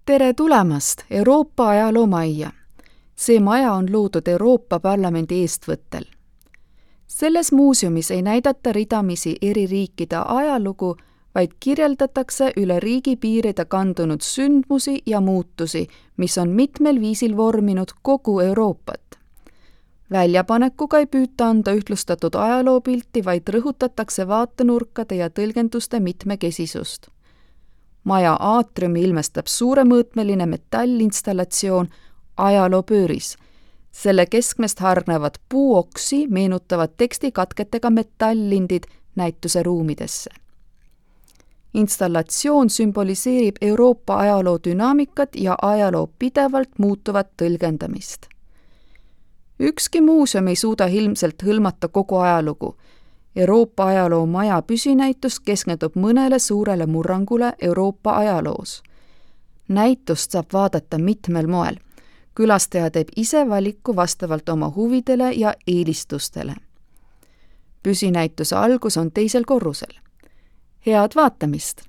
Tere tulemast Euroopa ajaloomajja! See maja on loodud Euroopa Parlamendi eestvõttel. Selles muuseumis ei näidata ridamisi eri riikide ajalugu, vaid kirjeldatakse üle riigipiiride kandunud sündmusi ja muutusi, mis on mitmel viisil vorminud kogu Euroopat. Väljapanekuga ei püüta anda ühtlustatud ajaloopilti, vaid rõhutatakse vaatenurkade ja tõlgenduste mitmekesisust. Maja aatriumi ilmestab suuremõõtmeline metallinstallatsioon ajaloopööris. Selle keskmest hargnevad puuoksi meenutavad tekstikatketega metalllindid näituse ruumidesse. Installatsioon sümboliseerib Euroopa ajaloo dünaamikat ja ajaloo pidevalt muutuvat tõlgendamist. Ükski muuseum ei suuda ilmselt hõlmata kogu ajalugu. Euroopa ajaloomaja püsinäitus keskendub mõnele suurele murrangule Euroopa ajaloos. Näitust saab vaadata mitmel moel. Külastaja teeb ise valiku vastavalt oma huvidele ja eelistustele. Püsinäituse algus on 2. korrusel. Head vaatamist!